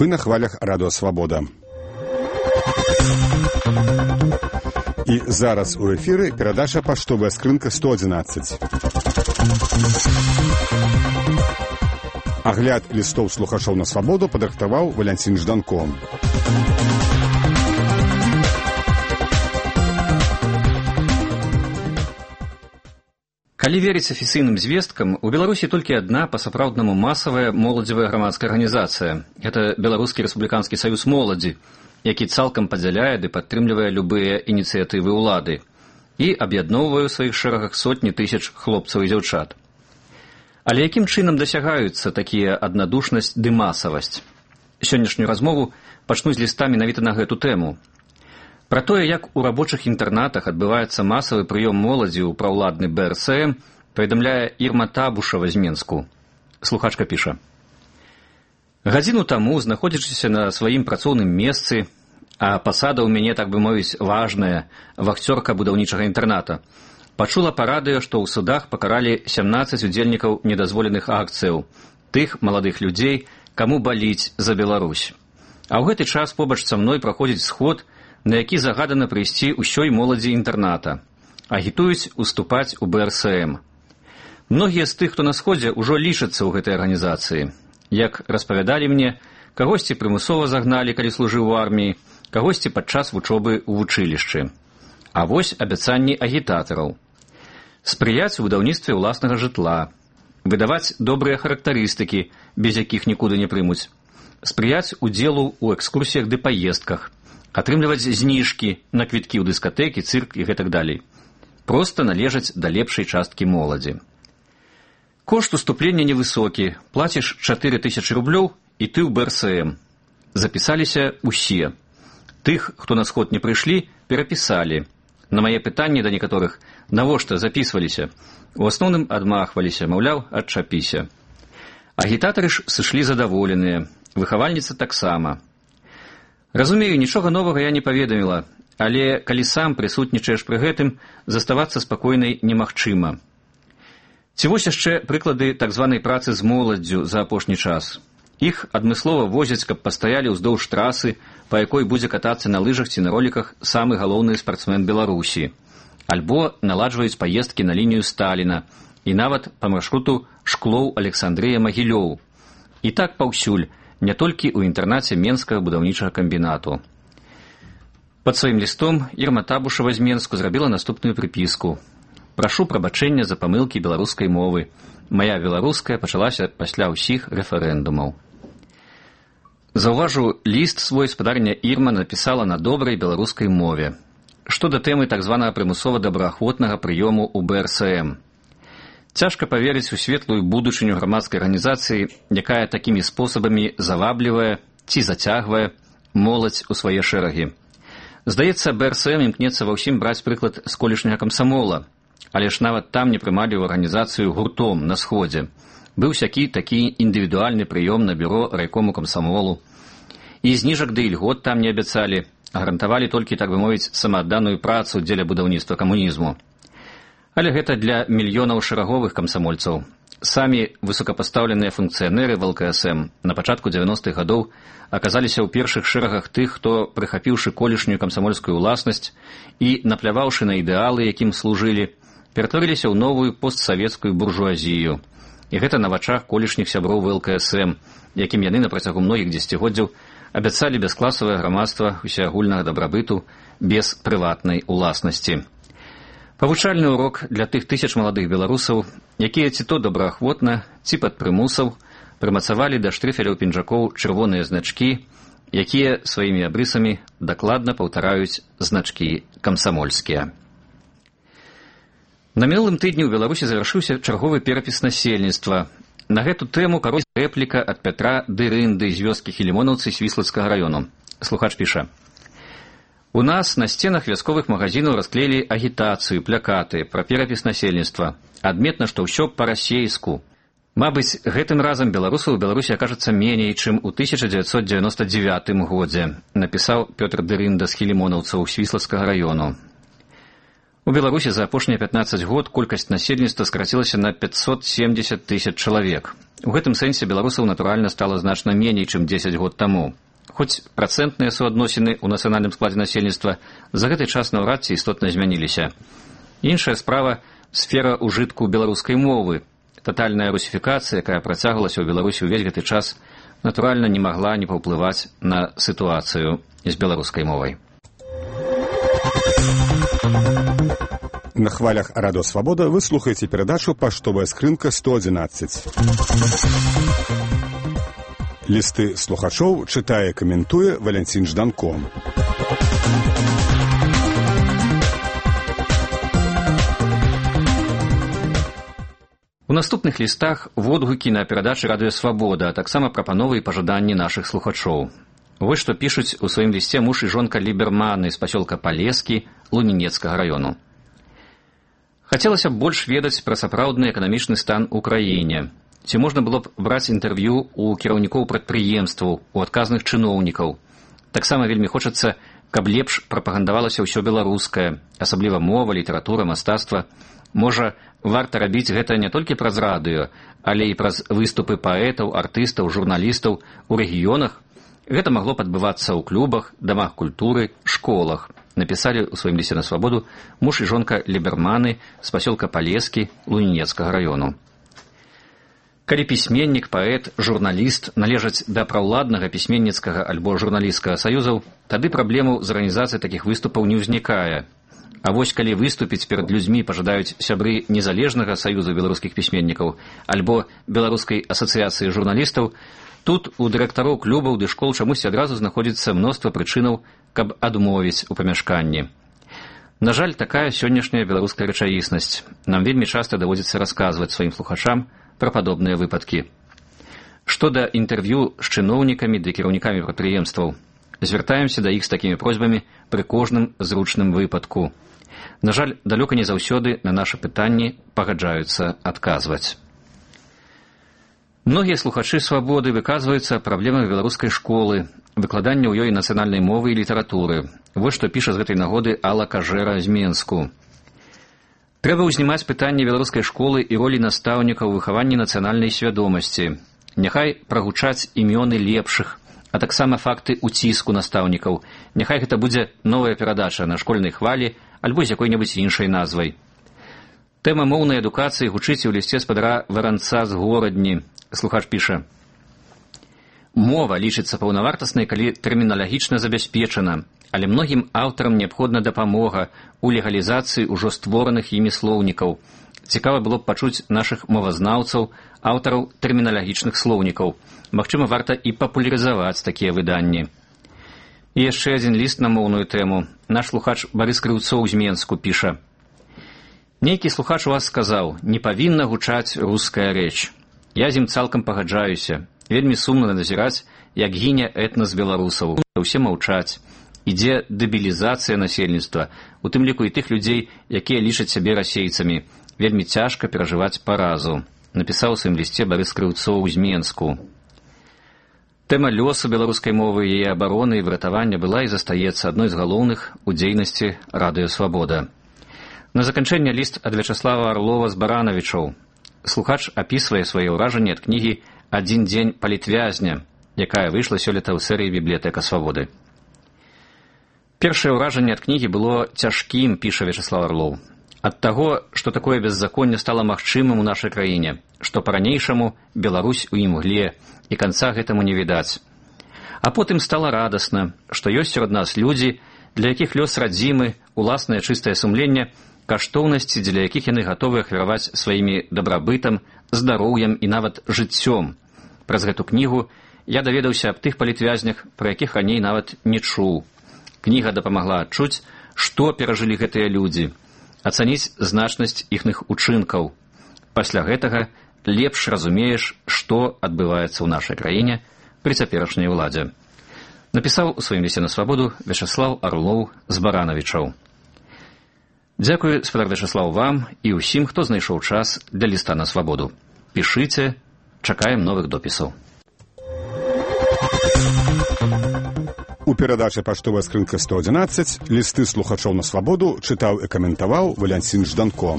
Вы на хвалях Радио Свабода. І зараз у ефіры перадача «Паштовая скрынка 111». Агляд лістоў слухачоў на свабоду падрыхтаваў Валянцін Жданко. Калі верыць афіцыйным звесткам, у Беларусі толькі адна па-сапраўднаму масавая моладзевая грамадская арганізацыя. Гэта Беларускі рэспубліканскі саюз моладзі, які цалкам падзяляе ды падтрымлівае любыя ініцыятывы ўлады і аб'ядноўвае ў сваіх шэрагах сотні тысяч хлопцаў і дзяўчат. Але якім чынам дасягаюцца такія аднадушнасць ды масавасць? Сённяшнюю размову пачну з ліста менавіта на гэту тэму. Пра тое, як у рабочых інтэрнатах адбываецца масавы прыём моладзі ў праўладны БРСМ, паведамляе Ірма Табушава з Менску. Слухачка піша. Гадзіну таму, знаходзячыся на сваім працоўным месцы, а пасада ў мяне, так бы мовіць, важная, вахцёрка будаўнічага інтэрната, пачула па радыё, што ў судах пакаралі 17 удзельнікаў недазволеных акцыяў, тых маладых людзей, каму баліць за Беларусь. А ў гэты час побач са мной праходзіць сход, на які загадана прыйсці ўсёй моладзі інтэрната, агітуюць уступаць у БРСМ. Многія з тых, хто на сходзе, ужо лічацца ў гэтай арганізацыі. Як распавядалі мне, кагосьці прымусова загналі, калі служыў у арміі, кагосьці падчас вучобы ў вучылішчы. А вось абяцанні агітатараў. Спрыяць у будаўніцтве ўласнага жытла, выдаваць добрыя характарыстыкі, без якіх нікуды не прымуць, спрыяць удзелу ў экскурсіях ды паездках, атрымліваць зніжкі на квіткі ў дыскатэкі, цырк і гэтак далей. Проста належаць да лепшай часткі моладзі. Кошт уступлення невысокі, плаціш 4000 рублёў і ты ў БРСМ. Запісаліся ўсе. Тых, хто на сход не прыйшлі, перапісалі. На мае пытанні да некаторых, навошта запісваліся, у асноўным адмахваліся, маўляў, адчапіся. Агітатары ж сышлі задаволеныя, выхавальніца таксама. Разумею, нічога новага я не паведаміла, але калі сам прысутнічаеш пры гэтым, заставацца спакойнай немагчыма. Ці вось яшчэ прыклады так званай працы з моладдзю за апошні час. Іх адмыслова возяць, каб пастаялі ўздоўж трасы, па якой будзе катацца на лыжах ці на роліках самы галоўны спартсмен Беларусі. Альбо наладжваюць паездкі на лінію Сталіна і нават па маршруту Шклоў-Александрыя-Магілёў. І так паўсюль, не толькі ў інтэрнаце Менскага будаўнічага камбінату. Пад сваім лістом Ірма Табушава з Менску зрабіла наступную прыпіску. Прашу прабачэння за памылкі беларускай мовы. Мая беларуская пачалася пасля ўсіх рэферэндумаў. Заўважу, ліст свой спадарня Ірма напісала на добрай беларускай мове. Што да тэмы так званага прымусова-добраахвотнага прыёму ў БРСМ. Цяжка паверыць у светлую будучыню грамадскай арганізацыі, якая такімі спосабамі заваблівае ці зацягвае моладзь у свае шэрагі. Здаецца, БРСМ імкнецца ва ўсім браць прыклад з колішняга камсамола, але ж нават там не прымалі ў арганізацыю гуртом на сходзе. Быў сякі такі індывідуальны прыём на бюро райкому камсамолу. І зніжак ды ільгот там не абяцалі, а гарантавалі толькі, так бы мовіць, самаадданую працу дзеля будаўніцтва камунізму. Але гэта для мільёнаў шэраговых камсамольцаў. Самі высокапастаўленыя функцыянеры в ЛКСМ на пачатку 90-х гадоў аказаліся ў першых шэрагах тых, хто, прыхапіўшы колішнюю камсамольскую ўласнасць і напляваўшы на ідэалы, якім служылі, ператварыліся ў новую постсавецкую буржуазію. І гэта на вачах колішніх сяброў ЛКСМ, якім яны на працягу многіх дзесяцігоддзяў абяцалі бяскласавае грамадства усеагульнага дабрабыту без прыватнай уласнасці. Павучальны урок для тых тысяч маладых беларусаў, якія ці то добраахвотна, ці пад прымусаў прымацавалі да штрыфеляў пінжакоў чырвоныя значкі, якія сваімі абрысамі дакладна паўтараюць значкі камсамольскія. На мінулым тыдні ў Беларусі завяршыўся чарговы перапіс насельніцтва. На гэту тэму карось рэпліка ад Пятра Дырынды з вёскі Хілімонаўцы Свіслацкага раёну. Слухач піша. У нас на сценах вясковых магазинаў расклеілі агітацыю, плакаты пра перапіс насельніцтва. Адметна, што ўсё па-расейску. Мабыць, гэтым разам беларусаў у Беларусі акажацца меней, чым у 1999 годзе, напісаў Пётр Дырында з Хілімонаўцаў Свіслацкага раёну. У Беларусі за апошнія 15 год колькасць насельніцтва скарацілася на 570 тысяч чалавек. У гэтым сэнсе беларусаў, натуральна, стала значна меней, чым 10 год таму. Хоць працэнтныя суадносіны ў нацыянальным складзе насельніцтва за гэты час наўрад ці істотна змяніліся. Іншая справа – сфера ўжытку беларускай мовы. Татальная русіфікацыя, якая працягвалася ў Беларусі ўвесь гэты час, натуральна, не магла не паўплываць на сітуацыю з беларускай мовай. На хвалях Радио Свобода вы слухаете передачу «Поштовая скрынка 111». Листы слухачоў читае и комментуе Валентин Жданко. У наступных лістах водгукі на перадачы Радыё Свабода, а таксама прапановы і пажаданні нашых слухачоў. Вось што пішуць у сваім лісце муж і жонка Ліберманы з пасёлка Палескі Лунінецкага раёну. Хацелася б больш ведаць пра сапраўдны эканамічны стан у краіне. Ці можна было б браць інтэрв'ю у кіраўнікоў прадпрыемстваў, у адказных чыноўнікаў. Таксама вельмі хочацца, каб лепш прапагандавалася ўсё беларускае, асабліва мова, літаратура, мастацтва. Можа, варта рабіць гэта не толькі праз радыё, але і праз выступы паэтаў, артыстаў, журналістаў у рэгіёнах. Гэта магло б адбывацца ў клубах, дамах культуры, школах. Напісалі ў сваім лісце на Свабоду муж і жонка Ліберманы з пасёлка Палескі Лунінецкага раёну. Калі пісьменнік, паэт, журналіст належаць да праўладнага пісьменніцкага альбо журналісцкага саюзаў, тады праблемаў з арганізацыяй такіх выступаў не ўзнікае. А вось калі выступіць перад людзьмі пажадаюць сябры незалежнага саюзу беларускіх пісьменнікаў альбо беларускай асацыяцыі журналістаў, тут у дырэктароў клубаў ды школ чамусьці адразу знаходзіцца мноства прычынаў, каб адмовіць у памяшканні. На жаль, такая сённяшняя беларуская рэчаіснасць. Нам вельмі часта даводзіцца расказваць сваім слухачам пра падобныя выпадкі. Што да інтэрв'ю з чыноўнікамі ды кіраўнікамі прадпрыемстваў, звяртаемся да іх з такімі просьбамі пры кожным зручным выпадку. На жаль, далёка не заўсёды на нашы пытанні пагаджаюцца адказваць. Многія слухачы Свабоды выказваюцца праблемах беларускай школы, выкладання ў ёй нацыянальнай мовы і літаратуры. Вось што піша з гэтай нагоды Алла Кажэра з Менску. Трэба ўзнімаць пытанне беларускай школы і ролі настаўнікаў у выхаванні нацыянальнай свядомасці. Няхай прагучаць імёны лепшых, а таксама факты ўціску настаўнікаў. Няхай гэта будзе новая перадача на школьнай хвалі альбо з якой-небудзь іншай назвай. Тэма моўнай адукацыі гучыць у лісце спадара Варанца з Горадні. Слухач піша: «Мова лічыцца паўнавартаснай, калі тэрміналагічна забяспечана, але многім аўтарам неабходна дапамога ў легалізацыі ўжо створаных імі слоўнікаў. Цікава было б пачуць нашых мовазнаўцаў, аўтараў тэрміналагічных слоўнікаў. Магчыма, варта і папулярызаваць такія выданні». І яшчэ адзін ліст на моўную тэму. Наш слухач Барыс Крыўцоў з Менску піша: «Нейкі слухач у вас сказаў, не павінна гучаць руская рэч. Я з ім цалкам пагаджаюся. Вельмі сумна назіраць, як гіне этнас беларусаў. Усе маўчаць. Ідзе дэбілізацыя насельніцтва, у тым ліку і тых людзей, якія лічаць сябе расейцамі. Вельмі цяжка перажываць паразу», напісаў у сваім лісце Барыс Крыўцоў з Менску. Тэма лёсу беларускай мовы, яе абароны і выратавання была і застаецца адной з галоўных у дзейнасці Радыё Свабода. На заканчэнне ліст ад Вячаслава Арлова з Баранавічоў. Слухач апісвае свае ўражанні ад кнігі «Адзін дзень палітвязня», якая выйшла сёлета ў серыі «Бібліятэка Свабоды». Першае ўражанне ад кнігі было цяжкім, піша Вячаслав Арлоў. Ад таго, што такое беззаконне стала магчымым у нашай краіне, што па-ранейшаму Беларусь у імгле, і канца гэтаму не відаць. А потым стала радасна, што ёсць сярод нас людзі, для якіх лёс радзімы, уласнае чыстае сумленне, каштоўнасці, дзеля якіх яны гатовы ахвяраваць сваімі дабрабытам, здароўем і нават жыццём. Праз гэту кнігу я даведаўся аб тых палітвязнях, пра якіх раней нават не чуў. Кніга дапамагла адчуць, што перажылі гэтыя людзі, ацаніць значнасць іхных учынкаў. Пасля гэтага лепш разумееш, што адбываецца ў нашай краіне пры цяперашняй уладзе. Напісаў у сваім лісце на Свабоду Вячаслав Арлоў з Баранавічаў. Дзякую, спадар Вячаслав, вам і ўсім, хто знайшоў час для ліста на Свабоду. чакаем новых допісаў. У У перадачы «Паштовая скрынка 111» лісты слухачоў на свабоду чытаў і каментаваў Валянцін Жданко.